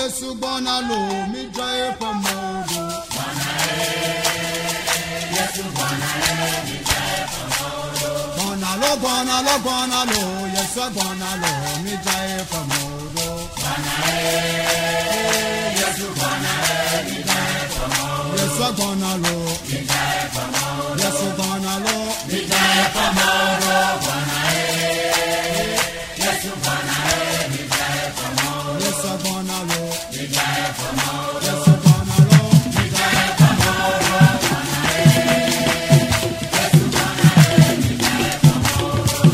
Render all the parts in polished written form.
Yesu gbɔna lo, midzra eƒe mɔwo ɖo. Gbɔna lo, gbɔna lo, gbɔna lo, Yesu gbɔna lo, midzra eƒe mɔwo ɖo. Yesu gbɔna lo, Yesu gbɔna lo, Yesu gbɔna lo, Yesu gbɔna lo.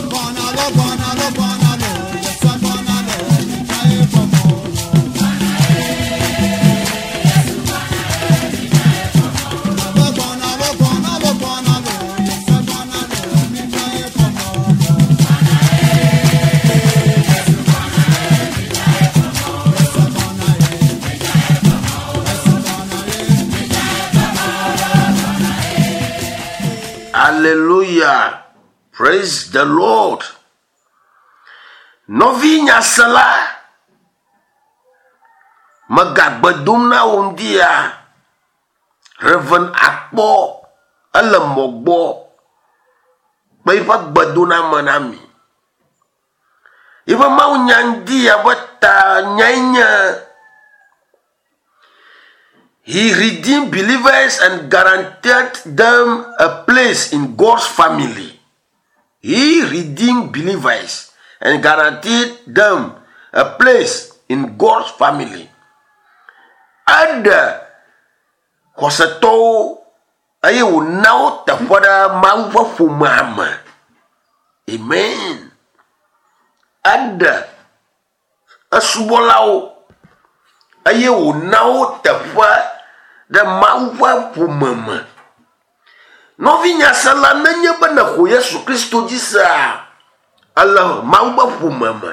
Gbɔna lo, gbɔna lo, gbɔna lo, Yesu gbɔna lo, midzra eƒe mɔwo ɖo. Gbɔna lo, gbɔna lo, gbɔna lo, Yesu gbɔna lo, midzra eƒe mɔwo ɖo. Yesu gbɔna ye, Yesu gbɔna ye. Hallelujah. Praise the Lord. Nɔvi nyasela, megagbe dom na wò ŋdi ya. Reverend Akpɔ ele mɔ gbɔ kple eƒe gbedoname na mi. Eƒe mawunya ŋdi ya ƒe ta nyae nye He redeemed believers and guaranteed them a place in God's family. He redeemed believers and guaranteed them a place in God's family. Eɖe xɔsetɔwo eye wòna wo teƒe ɖe Mawu ƒe ƒomea me. Amen. Eɖe esubɔlawo eye wòna wo teƒe ɖe Mawu ƒe ƒome me. Nɔvi nyasela nenye be nèxɔ Yesu Kristo dzi sea, ele Mawu ƒe ƒome me.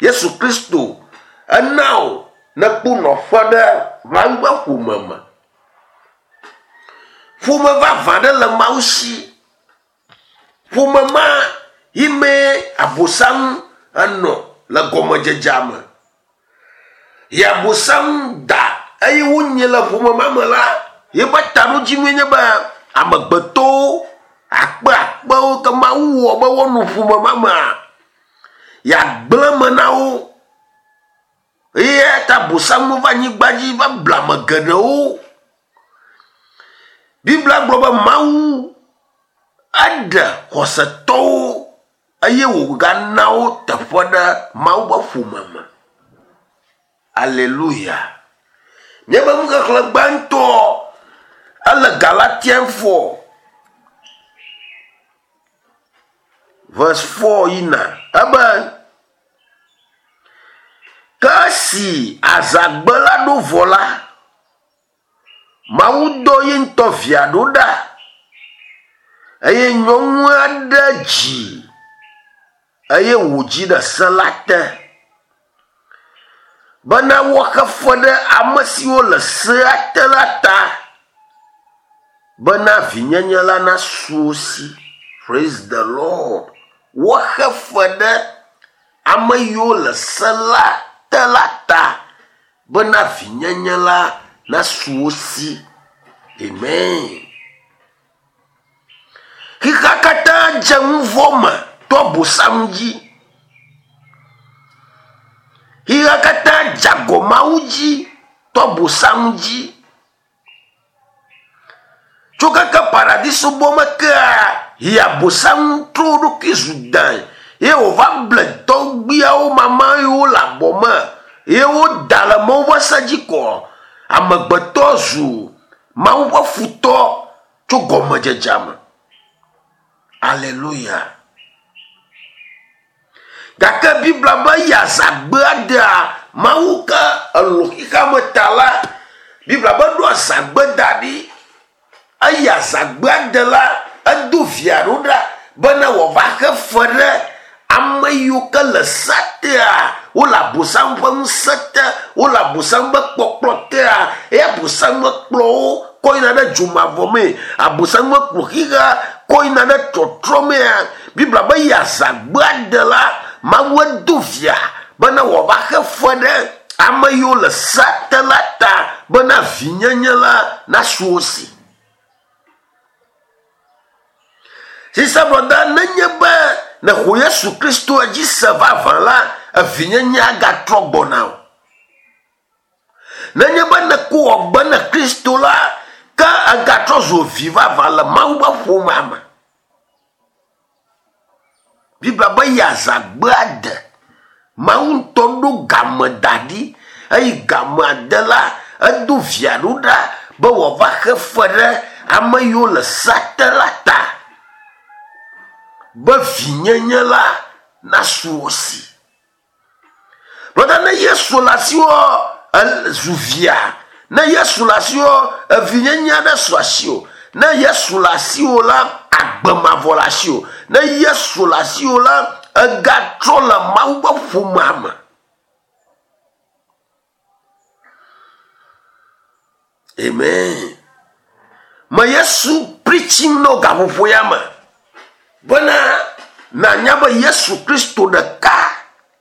Yesu Kristo ena wò nekpɔ nɔƒe ɖe Mawu ƒe ƒome me. Ƒome vavã ɖe le Mawu si. Ƒome ma yi mee Abosam enɔ le gɔmedzedzea me. Ye Abosam da eye wonyi le ƒome ma me la, yeƒe taɖodzinue nye be amegbetɔwo akpe akpewo ke Mawu wɔ be woanɔ ƒome ma mea, yeagblẽ eme na wo. Eya ta Abosam va anyigba dzi va ble ame geɖewo. Biblia gblɔ be Mawu eɖe xɔsetɔwo eye wògana wo teƒe ɖe Mawu ƒe ƒome me. Aleluya. Míaƒe nuxexlẽ gbãtɔ ele Galatian 4 verse 4 yina ebe ke esi azãgbe la ɖo vɔ la, Mawu dɔ ye ŋutɔ via ɖo ɖa eye nyɔnu aɖe dzi eye wòdzi ɖe se la te bena woaxe fe ɖe ame siwo le sea te la ta bena vinyenye la nasu wo si. Praise the Lord. Woaxe fe ɖe ame yiwo le se la te la ta bena vinyenye la nasu wo si. Amen. Xexea katã dze nu vɔ̃ me to Abosam dzi. Xexea katã dze agɔ Mawu dzi to Abosam dzi. Tso keke paradiso gbɔ me kea, yi Abosam trɔ eɖokui zu dãe ye wòva ble tɔgbuiawo mama yiwo le abɔ me ye woda le Mawu ƒe se dzi kɔ. Amegbetɔ zu Mawu ƒe futɔ tso gɔmedzedzea me. Aleluya. Gake Biblia be eya azãgbe aɖea Mawu ke elɔ̃ xexea me ta la, Biblia be ɖo azãgbe da ɖi. Eyi azãgbe aɖe la, edo via ɖo ɖa bena wòava xe fe ɖe ame yiwo ke le sea tea, wole Abosam ƒe ŋusẽ te, wole Abosam ƒe kpɔkplɔ tea, eye Abosam mekplɔ wo kɔ yina ɖe dzomavɔ mee, Abosam mekplɔ xexea kɔ yina ɖe tɔtrɔ mea. Biblia be yi azãgbe aɖe la, Mawu edo via bena wòava xe fe ɖe Ame yiwo le sea te la ta bena vinyenye la nasu wo si. Sisa brɔda, nenye be nèxɔ Yesu Kristo dzi se vavã la, evinyenye agatrɔ gbɔ na wò. Nenye be nèko wɔgbe na Kristo la, ke ègatrɔ zu vi vavã le Mawu ƒe ƒomea me. Biblia be yeazãgbea de. Mawu ŋutɔ ɖo game da ɖi eye gamea de la, edo via ɖo ɖa be wòava xe fe ɖe ame yiwo le sea te la ta be vinyenye la nasu wo si. Brɔda, ne Yesu le asiwò, zu via. Ne Yesu le asiwò, evinyenye aɖe su asiwò. Ne Yesu le asiwò la, agbe mavɔ le asiwò. Ne Yesu le asiwò la, egatrɔ le Mawu ƒe ƒomea me. Amen. Me Yesu preaching no gaƒoƒo ya me bena nànya be Yesu Kristo ɖeka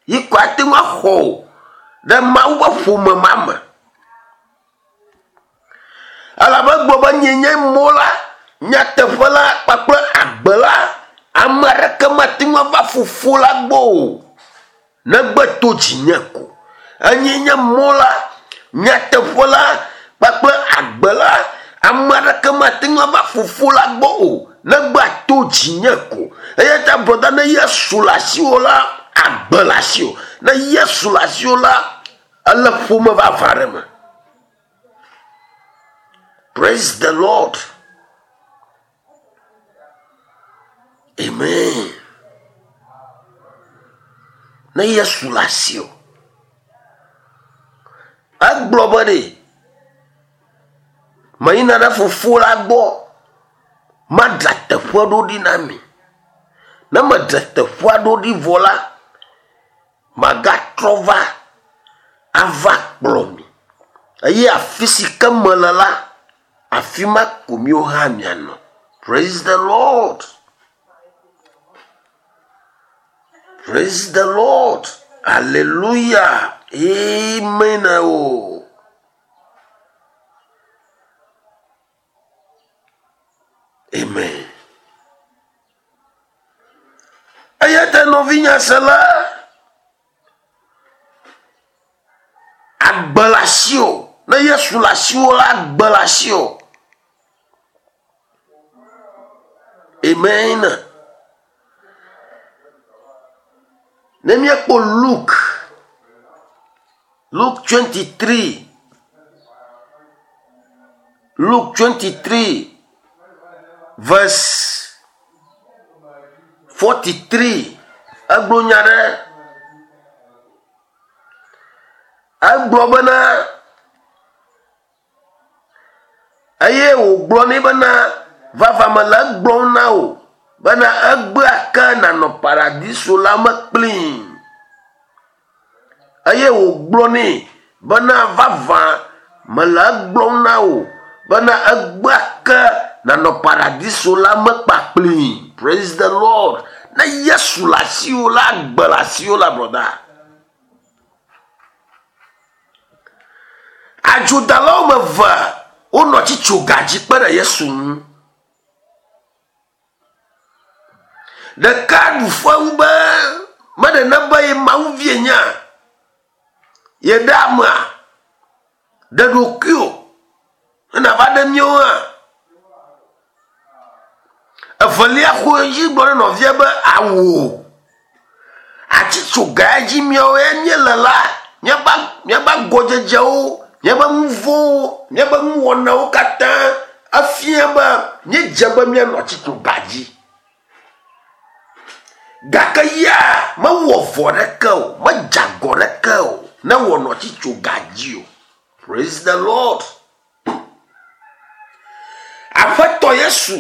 yi ko ate ŋu axɔ wò ɖe Mawu ƒe ƒome ma me. Elabe egblɔ be nyee nye mɔ la, nyateƒe la kpakple agbe la. Ame aɖeke mate ŋu ava Fofo la gbɔ o. Negbe to dzinye ko. Enyee nye mɔ la, nyateƒe la kpakple agbe la. Ame aɖeke mate ŋu ava Fofo la gbɔ o, negbe ato dzinye ko. Eya ta brɔda, ne Yesu le asiwò la, agbe le asiwò. Ne Yesu le asiwò la, ele ƒome vavã aɖe me. Praise the Lord. Amen. Ne Yesu le asiwò, egblɔ be ɖe meyina ɖe fofo la gbɔ, madzra teƒe ɖo ɖi na mi. Ne medze teƒea ɖo ɖi vɔ la, magatrɔ va ava kplɔ mi. Eye afi si ke mele la, Afi ma ko míwo hã mianɔ. Praise the Lord. Praise the Lord. Hallelujah. Amen. Oh. Amen. Eya ta nɔvinya sela Agbe le asiwò. Ne Yesu le asiwò la, agbe le asiwò. Amen. Ne míekpɔ Luke, Luke 23, Luke 23 verse 43 egblɔ nya ɖe egblɔ bena eye wògblɔ nɛ bena vava mele egblɔm na wò bena egbea ke nànɔ paradiso la me kplii. Eye wògblɔ nɛ bena, Vavã mele egblɔm na wò bena egbea ke nànɔ paradiso la me kpakplii. Praise the Lord. Ne Yesu le asiwò la, agbe le asiwò la, brɔda. Adzodalawo me eve wonɔ tsitsoga dzi kpe ɖe Yesu ŋu. Ɖeka ɖu fewu be meɖe nebe ye Mawu vie nyea, yeɖe amea, ɖe ɖokuiwò ne nàva ɖe míawo hã. Evelia xɔ edzi gblɔ na nɔvia be awo atitsoga dzi míawo ya míele la, míaƒe míaƒe agɔdzedzewo, míaƒe nu vɔ̃wo, míaƒe nuwɔnawo katã efia be míedze be míanɔ atitsoga dzi. Gake ya mewɔ vɔ̃ ɖeke o, medze agɔ ɖeke o ne wòanɔ atitsoga dzi o. Praise the Lord. Aƒetɔ Yesu,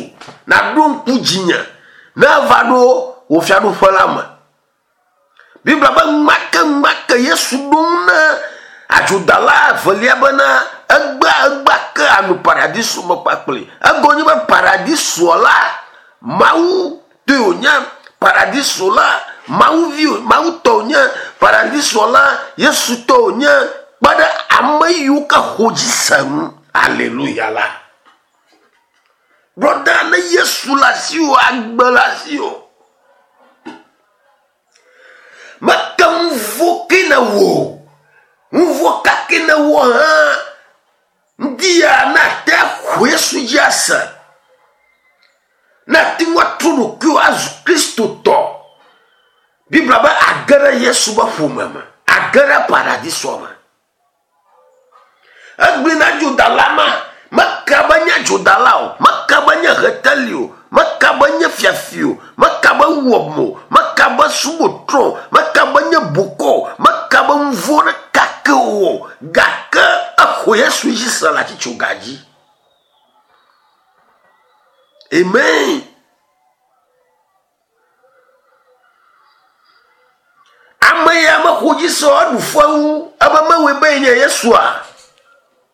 nàɖo ŋku dzinye ne eva ɖo wò fiaɖuƒe la me. Biblia be ŋumake ŋumake Yesu ɖo ŋu na adzodala evelia bena egbea egbea ke anɔ paradiso me kpakpli. Egɔme nye be paradisoa la, Mawu tɔe wònye, paradiso la, Mawu vi, Mawu tɔ wònye, paradisoa la, Yesu tɔ wònye. Kpe ɖe ame yiwo ke xɔ dzi se ŋu. Aleluya la. Brɔda ne Yesu le asiwò, agbe le asiwò. Meke nu vɔ̃ ke nèwɔ o. Nu vɔ̃ ka ke nèwɔ hã, ŋdi ya ne àte axɔ Yesu dzi ase, ne àte ŋu atrɔ ɖokuiwò azu Kristotɔ, Biblia be age ɖe Yesu ƒe ƒome me, age ɖe paradisoa me. Egblɔe na dzodala ma, meka be nye dzodala o, meka be nye heteli o, meka be nye fiafi o, meka be wɔm o, meka be subɔtrɔ o, meka be nye bokɔ o, meka be nu vɔ̃ ɖeka ke o, gake exɔ Yesu dzi se le atitsoga dzi. Amen. Ame ya mexɔ dzi se o, eɖu fewu ebe mewɔe be yenye Yesua?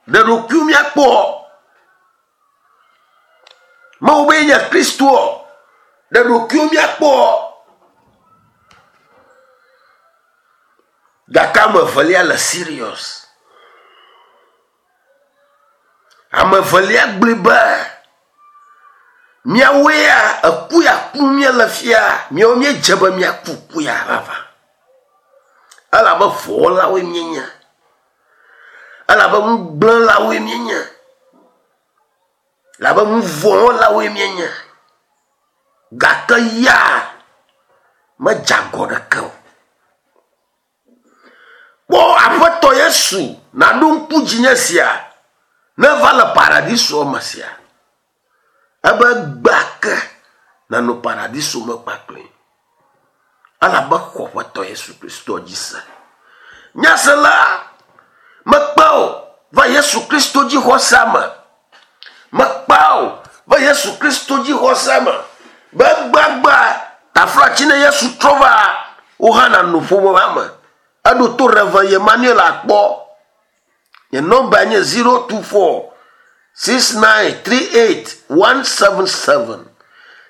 Ɖe ɖokuiwo míakpɔ. Mewɔ be yenye Kristoa? Ɖe ɖokuiwo míakpɔ. Gake ame evelia le serious. Ame evelia gblɔe be, Míawoe ya eku ya kum míele fia, míawo míedze be míaku ku ya vavã. Elabe vɔ̃wɔlawoe míenye. Elabe nugblẽlawoe míenye. Elabe nu vɔ̃ wɔlawoe míenye. Gake ya medze agɔ ɖeke o. Kpɔ Aƒetɔ Yesu naɖo ŋku dzinye sia ne eva le paradisoa me sia. Ebe egbea ke nànɔ paradiso me kpakpli. Elabe xɔ Aƒetɔ Yesu Kristo dzi se. Nyasela, mekpe wò va Yesu Kristo dzixɔsea me. Mekpe wò va Yesu Kristo dzixɔsea me be egbeagbea taflatsi ne Yesu trɔ va, wò hã nànɔ ƒome ma me. Eɖo to Rev. Emmanuel akpɔ. Nye nɔmba nye 024 6938 177.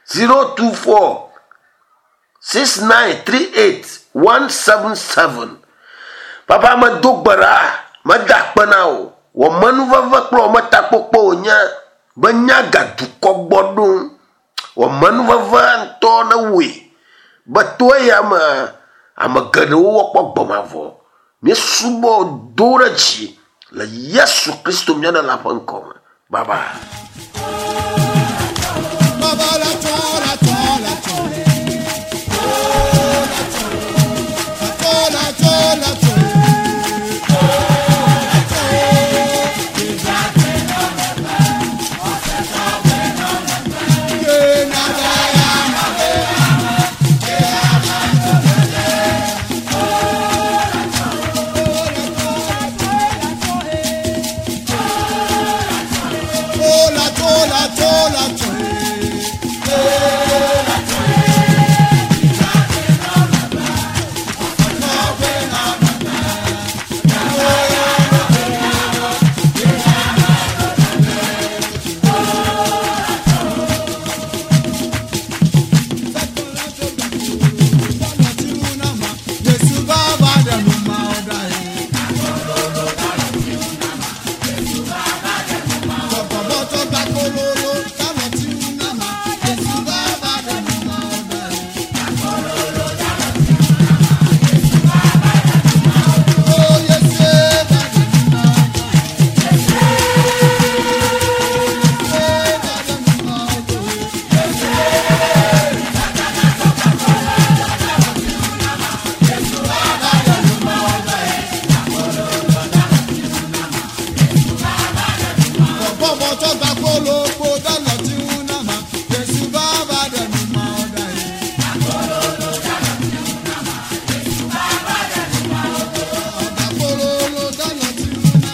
024 6938 177. Papa medo gbe ɖa, meda akpe na wò. Wò amenuveve kple wò ametakpɔkpɔ wònye be nya gadukɔ gbɔ ɖom. Wò amenuveve ŋutɔ newɔe be to eya me ame geɖewo woakpɔ agbe mavɔ. Míesubɔ do ɖe dzi le Yesu Kristo mía Ɖela ƒe ŋkɔ me. Bye bye.